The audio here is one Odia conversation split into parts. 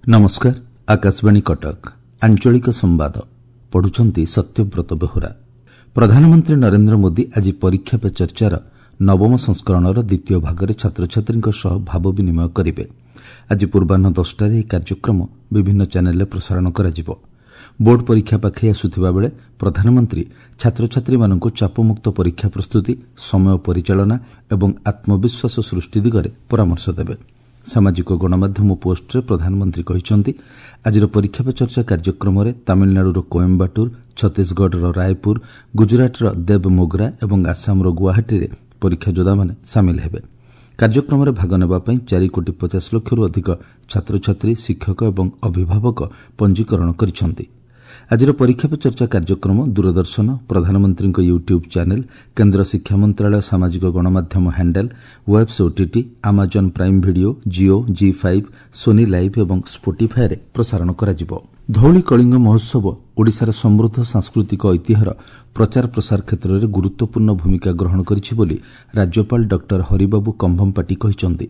ନମସ୍କାର, ଆକାଶବାଣୀ କଟକ, ଆଞ୍ଚଳିକ ସମ୍ବାଦ ପଢୁଛନ୍ତି ସତ୍ୟବ୍ରତ ବେହୁରା। ପ୍ରଧାନମନ୍ତ୍ରୀ ନରେନ୍ଦ୍ର ମୋଦି ଆଜି ପରୀକ୍ଷା ପେ ଚର୍ଚ୍ଚାର ନବମ ସଂସ୍କରଣର ଦ୍ୱିତୀୟ ଭାଗରେ ଛାତ୍ରଛାତ୍ରୀଙ୍କ ସହ ଭାବ ବିନିମୟ କରିବେ। ଆଜି ପୂର୍ବାହ୍ନ 10ଟାରେ ଏହି କାର୍ଯ୍ୟକ୍ରମ ବିଭିନ୍ନ ଚ୍ୟାନେଲରେ ପ୍ରସାରଣ କରାଯିବ। ବୋର୍ଡ ପରୀକ୍ଷା ପାଖେଇ ଆସୁଥିବାବେଳେ ପ୍ରଧାନମନ୍ତ୍ରୀ ଛାତ୍ରଛାତ୍ରୀମାନଙ୍କୁ ଚାପମୁକ୍ତ ପରୀକ୍ଷା ପ୍ରସ୍ତୁତି, ସମୟ ପରିଚାଳନା ଏବଂ ଆତ୍ମବିଶ୍ୱାସ ସୃଷ୍ଟି ଦିଗରେ ପରାମର୍ଶ ଦେବେ। ସାମାଜିକ ଗଣମାଧ୍ୟମ ପୋଷ୍ଟରେ ପ୍ରଧାନମନ୍ତ୍ରୀ କହିଛନ୍ତି, ଆଜିର ପରୀକ୍ଷା ପେ ଚର୍ଚ୍ଚା କାର୍ଯ୍ୟକ୍ରମରେ ତାମିଲନାଡୁର କୋଏମ୍ବାଟୁର, ଛତିଶଗଡ଼ର ରାୟପୁର, ଗୁଜରାଟର ଦେବମୋଗରା ଏବଂ ଆସାମର ଗୁଆହାଟୀରେ ପରୀକ୍ଷା ଯୋଦ୍ଧାମାନେ ସାମିଲ ହେବେ। କାର୍ଯ୍ୟକ୍ରମରେ ଭାଗ ନେବା ପାଇଁ 4 କୋଟି 50 ଲକ୍ଷରୁ ଅଧିକ ଛାତ୍ରଛାତ୍ରୀ, ଶିକ୍ଷକ ଏବଂ ଅଭିଭାବକ ପଞ୍ଜୀକରଣ କରିଛନ୍ତି। ଆଜିର ପରୀକ୍ଷା ପେ ଚର୍ଚ୍ଚା କାର୍ଯ୍ୟକ୍ରମ ଦୂରଦର୍ଶନ, ପ୍ରଧାନମନ୍ତ୍ରୀଙ୍କ ୟୁଟ୍ୟୁବ୍ ଚ୍ୟାନେଲ, କେନ୍ଦ୍ର ଶିକ୍ଷା ମନ୍ତ୍ରଣାଳୟ ସାମାଜିକ ଗଣମାଧ୍ୟମ handle, Waves OTT, Amazon Prime Video, Jio, Zee five, Sony Liv ଏବଂ ସ୍ପୋଟିଫାଏରେ ପ୍ରସାରଣ କରାଯିବ। ଧଉଳି କଳିଙ୍ଗ ମହୋତ୍ସବ ଓଡ଼ିଶାର ସମୃଦ୍ଧ ସାଂସ୍କୃତିକ ଐତିହ୍ୟର ପ୍ରଚାର ପ୍ରସାର କ୍ଷେତ୍ରରେ ଗୁରୁତ୍ୱପୂର୍ଣ୍ଣ ଭୂମିକା ଗ୍ରହଣ କରିଛି ବୋଲି ରାଜ୍ୟପାଳ ଡକ୍ଟର ହରିବାବୁ କମ୍ଭମପାଟି କହିଛନ୍ତି।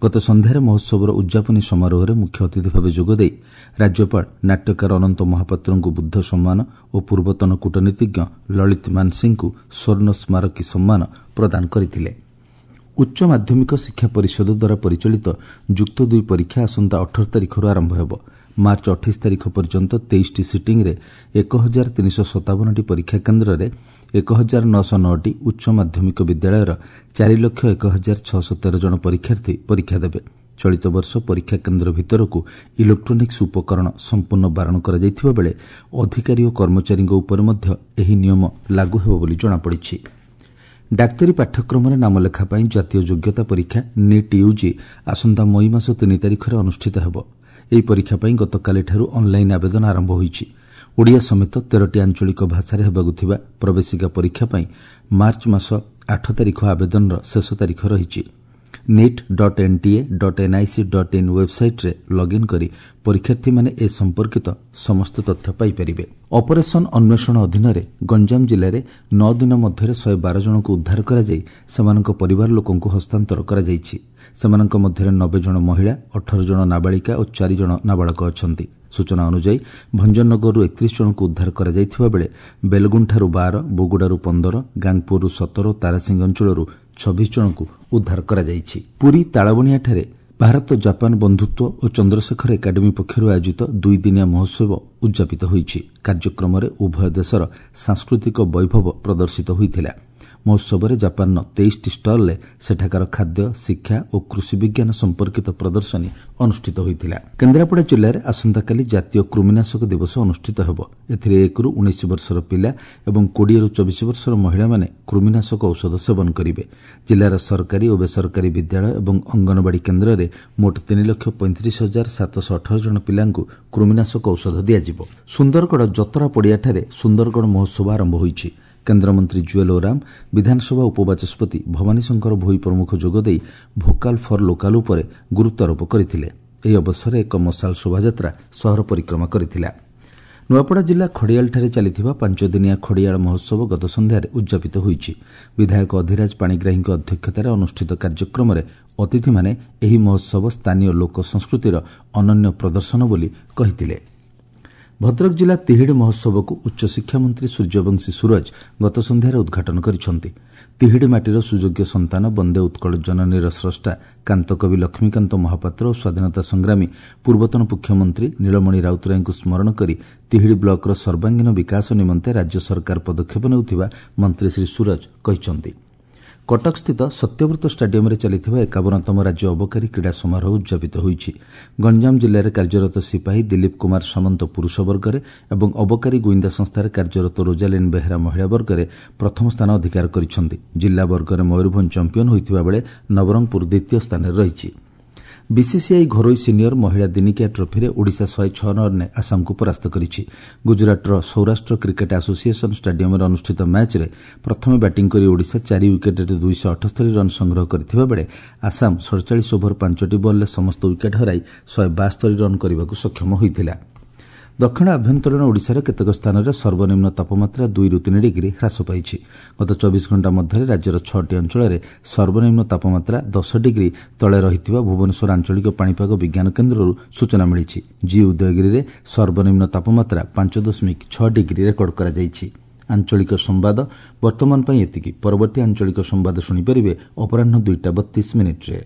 ଗତ ସନ୍ଧ୍ୟାରେ ମହୋତ୍ସବର ଉଦ୍ଯାପନୀ ସମାରୋହରେ ମୁଖ୍ୟ ଅତିଥି ଭାବେ ଯୋଗଦେଇ ରାଜ୍ୟପାଳ ନାଟ୍ୟକାର ଅନନ୍ତ ମହାପାତ୍ରଙ୍କୁ ବୁଦ୍ଧ ସମ୍ମାନ ଓ ପୂର୍ବତନ କୂଟନୀତିଜ୍ଞ ଲଳିତ ମାନସିଂଙ୍କୁ ସ୍ୱର୍ଣ୍ଣ ସ୍ମାରକୀ ସମ୍ମାନ ପ୍ରଦାନ କରିଥିଲେ। ଉଚ୍ଚ ମାଧ୍ୟମିକ ଶିକ୍ଷା ପରିଷଦ ଦ୍ୱାରା ପରିଚାଳିତ ଯୁକ୍ତ ଦୁଇ ପରୀକ୍ଷା ଆସନ୍ତା 18 ତାରିଖରୁ ଆରମ୍ଭ ହେବ। ମାର୍ଚ୍ଚ 28 ତାରିଖ ପର୍ଯ୍ୟନ୍ତ 23ଟି ସିଟିଂରେ 1357ଟି ପରୀକ୍ଷା କେନ୍ଦ୍ରରେ 1909ଟି ଉଚ୍ଚ ମାଧ୍ୟମିକ ବିଦ୍ୟାଳୟର 4 ଲକ୍ଷ 1613 ଜଣ ପରୀକ୍ଷାର୍ଥୀ ପରୀକ୍ଷା ଦେବେ। ଚଳିତ ବର୍ଷ ପରୀକ୍ଷା କେନ୍ଦ୍ର ଭିତରକୁ ଇଲେକ୍ଟ୍ରୋନିକ୍ସ ଉପକରଣ ସମ୍ପୂର୍ଣ୍ଣ ବାରଣ କରାଯାଇଥିବା ବେଳେ ଅଧିକାରୀ ଓ କର୍ମଚାରୀଙ୍କ ଉପରେ ମଧ୍ୟ ଏହି ନିୟମ ଲାଗୁ ହେବ ବୋଲି ଜଣାପଡ଼ିଛି। ଡାକ୍ତରୀ ପାଠ୍ୟକ୍ରମରେ ନାମଲେଖା ପାଇଁ ଜାତୀୟ ଯୋଗ୍ୟତା ପରୀକ୍ଷା ନିଟ୍ ୟୁଜି ଆସନ୍ତା ମଇ ମାସ 3 ତାରିଖରେ ଅନୁଷ୍ଠିତ ହେବ। ଏହି ପରୀକ୍ଷା ପାଇଁ ଗତକାଲିଠାରୁ ଅନ୍ଲାଇନ୍ ଆବେଦନ ଆରମ୍ଭ ହୋଇଛି। ଓଡ଼ିଆ ସମେତ 13ଟି ଆଞ୍ଚଳିକ ଭାଷାରେ ହେବାକୁ ଥିବା ପ୍ରବେଶିକା ପରୀକ୍ଷା ପାଇଁ ମାର୍ଚ୍ଚ ମାସ 8 ତାରିଖ ଆବେଦନର ଶେଷ ତାରିଖ ରହିଛି। NEET dot NTA dot NIC dot in ୱେବ୍ସାଇଟ୍ରେ login କରି ପରୀକ୍ଷାର୍ଥୀମାନେ ଏ ସମ୍ପର୍କିତ ସମସ୍ତ ତଥ୍ୟ ପାଇପାରିବେ। ଅପରେସନ୍ ଅନ୍ୱେଷଣ ଅଧୀନରେ ଗଞ୍ଜାମ ଜିଲ୍ଲାରେ 9 ଦିନ ମଧ୍ୟରେ 112 ଜଣଙ୍କୁ ଉଦ୍ଧାର କରାଯାଇ ସେମାନଙ୍କ ପରିବାର ଲୋକଙ୍କୁ ହସ୍ତାନ୍ତର କରାଯାଇଛି। ସେମାନଙ୍କ ମଧ୍ୟରେ 90 ଜଣ ମହିଳା, 18 ଜଣ ନାବାଳିକା ଓ 4 ଜଣ ନାବାଳକ ଅଛନ୍ତି। ସୂଚନା ଅନୁଯାୟୀ ଭଞ୍ଜନଗରରୁ 31 ଜଣଙ୍କୁ ଉଦ୍ଧାର କରାଯାଇଥିବା ବେଳେ ବେଲଗୁଣ୍ଠାରୁ 12, ବୁଗୁଡ଼ାରୁ 15, ଗାଙ୍ଗପୁରରୁ 17 ଓ ତାରାସିଂ ଅଞ୍ଚଳରୁ 26 ଜଣଙ୍କୁ ଉଦ୍ଧାର କରାଯାଇଛି। ପୁରୀ ତାଳବଣିଆଠାରେ ଭାରତ ଜାପାନ ବନ୍ଧୁତ୍ୱ ଓ ଚନ୍ଦ୍ରଶେଖର ଏକାଡେମୀ ପକ୍ଷରୁ ଆୟୋଜିତ ଦୁଇଦିନିଆ ମହୋତ୍ସବ ଉଦ୍ଯାପିତ ହୋଇଛି। କାର୍ଯ୍ୟକ୍ରମରେ ଉଭୟ ଦେଶର ସାଂସ୍କୃତିକ ବୈଭବ ପ୍ରଦର୍ଶିତ ହୋଇଥିଲା। ମହୋତ୍ସବରେ ଜାପାନର 23ଟି ଷ୍ଟଲ୍ରେ ସେଠାକାର ଖାଦ୍ୟ, ଶିକ୍ଷା ଓ କୃଷି ବିଜ୍ଞାନ ସମ୍ପର୍କିତ ପ୍ରଦର୍ଶନୀ ଅନୁଷ୍ଠିତ ହୋଇଥିଲା। କେନ୍ଦ୍ରାପଡ଼ା ଜିଲ୍ଲାରେ ଆସନ୍ତାକାଲି ଜାତୀୟ କୃମିନାଶକ ଦିବସ ଅନୁଷ୍ଠିତ ହେବ। ଏଥିରେ 1ରୁ 19 ବର୍ଷର ପିଲା ଏବଂ 20ରୁ 24 ବର୍ଷର ମହିଳାମାନେ କୃମିନାଶକ ଔଷଧ ସେବନ କରିବେ। ଜିଲ୍ଲାର ସରକାରୀ ଓ ବେସରକାରୀ ବିଦ୍ୟାଳୟ ଏବଂ ଅଙ୍ଗନବାଡ଼ି କେନ୍ଦ୍ରରେ ମୋଟ 3,35,718 ଜଣ ପିଲାଙ୍କୁ କୃମିନାଶକ ଔଷଧ ଦିଆଯିବ। ସୁନ୍ଦରଗଡ଼ ଜତରା ପଡ଼ିଆଠାରେ ସୁନ୍ଦରଗଡ଼ ମହୋତ୍ସବ ଆରମ୍ଭ ହୋଇଛି। କେନ୍ଦ୍ରମନ୍ତ୍ରୀ ଜୁଏଲ୍ ଓରାମ, ବିଧାନସଭା ଉପବାଚସ୍ପତି ଭବାନୀ ଶଙ୍କର ଭୋଇ ପ୍ରମୁଖ ଯୋଗଦେଇ ଭୋକାଲ୍ ଫର୍ ଲୋକାଲ୍ ଉପରେ ଗୁରୁତ୍ୱାରୋପ କରିଥିଲେ। ଏହି ଅବସରରେ ଏକ ମଶାଲ ଶୋଭାଯାତ୍ରା ସହର ପରିକ୍ରମା କରିଥିଲା। ନୂଆପଡ଼ା ଜିଲ୍ଲା ଖଡ଼ିଆଳଠାରେ ଚାଲିଥିବା ପାଞ୍ଚଦିନିଆ ଖଡ଼ିଆଳ ମହୋତ୍ସବ ଗତ ସନ୍ଧ୍ୟାରେ ଉଦ୍ଯାପିତ ହୋଇଛି। ବିଧାୟକ ଅଧିରାଜ ପାଣିଗ୍ରାହୀଙ୍କ ଅଧ୍ୟକ୍ଷତାରେ ଅନୁଷ୍ଠିତ କାର୍ଯ୍ୟକ୍ରମରେ ଅତିଥିମାନେ ଏହି ମହୋତ୍ସବ ସ୍ଥାନୀୟ ଲୋକ ସଂସ୍କୃତିର ଅନନ୍ୟ ପ୍ରଦର୍ଶନ ବୋଲି କହିଥିଲେ। ଭଦ୍ରକ ଜିଲ୍ଲା ତିହିଡ଼ି ମହୋତ୍ସବକୁ ଉଚ୍ଚଶିକ୍ଷା ମନ୍ତ୍ରୀ ସୂର୍ଯ୍ୟବଂଶୀ ସୂରଜ ଗତ ସନ୍ଧ୍ୟାରେ ଉଦ୍ଘାଟନ କରିଛନ୍ତି। ତିହିଡ଼ି ମାଟିର ସୁଯୋଗ୍ୟ ସନ୍ତାନ ବନ୍ଦେ ଉତ୍କଳ ଜନନୀର ସ୍ରଷ୍ଟା କାନ୍ତକବି ଲକ୍ଷ୍ମୀକାନ୍ତ ମହାପାତ୍ର ଓ ସ୍ୱାଧୀନତା ସଂଗ୍ରାମୀ ପୂର୍ବତନ ମୁଖ୍ୟମନ୍ତ୍ରୀ ନୀଳମଣି ରାଉତରାୟଙ୍କୁ ସ୍ମରଣ କରି ତିହିଡ଼ି ବ୍ଲକର ସର୍ବାଙ୍ଗୀନ ବିକାଶ ନିମନ୍ତେ ରାଜ୍ୟ ସରକାର ପଦକ୍ଷେପ ନେଉଥିବା ମନ୍ତ୍ରୀ ଶ୍ରୀ ସୂରଜ କହିଛନ୍ତି। କଟକସ୍ଥିତ ସତ୍ୟବ୍ରତ ଷ୍ଟାଡିୟମରେ ଚାଲିଥିବା 51ତମ ରାଜ୍ୟ ଅବକାରୀ କ୍ରୀଡ଼ା ସମାରୋହ ଉଦ୍ଯାପିତ ହୋଇଛି। ଗଞ୍ଜାମ ଜିଲ୍ଲାରେ କାର୍ଯ୍ୟରତ ସିପାହୀ ଦିଲ୍ଲୀପ କୁମାର ସାମନ୍ତ ପୁରୁଷ ବର୍ଗରେ ଏବଂ ଅବକାରୀ ଗୁଇନ୍ଦା ସଂସ୍ଥାରେ କାର୍ଯ୍ୟରତ ରୋଜାଲିନ୍ ବେହେରା ମହିଳା ବର୍ଗରେ ପ୍ରଥମ ସ୍ଥାନ ଅଧିକାର କରିଛନ୍ତି। ଜିଲ୍ଲା ବର୍ଗରେ ମୟୂରଭଞ୍ଜ ଚାମ୍ପିୟନ ହୋଇଥିବା ବେଳେ ନବରଙ୍ଗପୁର ଦ୍ୱିତୀୟ ସ୍ଥାନରେ ରହିଛି। ବିସିସିଆଇ ଘରୋଇ ସିନିୟର ମହିଳା ଦିନିକିଆ ଟ୍ରଫିରେ ଓଡ଼ିଶା 106 ରନ୍ରେ ଆସାମକୁ ପରାସ୍ତ କରିଛି। ଗୁଜରାଟର ସୌରାଷ୍ଟ୍ର କ୍ରିକେଟ୍ ଆସୋସିଏସନ୍ ଷ୍ଟାଡିୟମରେ ଅନୁଷ୍ଠିତ ମ୍ୟାଚ୍ରେ ପ୍ରଥମେ ବ୍ୟାଟିଂ କରି ଓଡ଼ିଶା 4 ୱିକେଟ୍ରେ 278 ରନ୍ ସଂଗ୍ରହ କରିଥିବା ବେଳେ ଆସାମ 47 ଓଭର 5ଟି ବଲ୍ରେ ସମସ୍ତ ୱିକେଟ୍ ହରାଇ 172 ରନ୍ କରିବାକୁ ସକ୍ଷମ ହୋଇଥିଲା। ଦକ୍ଷିଣ ଆଭ୍ୟନ୍ତରୀଣ ଓଡ଼ିଶାର କେତେକ ସ୍ଥାନରେ ସର୍ବନିମ୍ନ ତାପମାତ୍ରା 2ରୁ 3 ଡିଗ୍ରୀ ହ୍ରାସ ପାଇଛି। ଗତ 24 ଘଣ୍ଟା ମଧ୍ୟରେ ରାଜ୍ୟର 6ଟି ଅଞ୍ଚଳରେ ସର୍ବନିମ୍ନ ତାପମାତ୍ରା 10 ଡିଗ୍ରୀ ତଳେ ରହିଥିବା ଭୁବନେଶ୍ୱର ଆଞ୍ଚଳିକ ପାଣିପାଗ ବିଜ୍ଞାନ କେନ୍ଦ୍ରରୁ ସୂଚନା ମିଳିଛି। ଜି ଉଦୟଗିରିରେ ସର୍ବନିମ୍ନ ତାପମାତ୍ରା 5.6 ଡିଗ୍ରୀ ରେକର୍ଡ କରାଯାଇଛି। ଆଞ୍ଚଳିକ ସମ୍ବାଦ ବର୍ତ୍ତମାନ ପାଇଁ ଏତିକି। ପରବର୍ତ୍ତୀ ଆଞ୍ଚଳିକ ସମ୍ବାଦ ଶୁଣିପାରିବେ ଅପରାହ୍ନ 2ଟା 32 ମିନିଟ୍ରେ।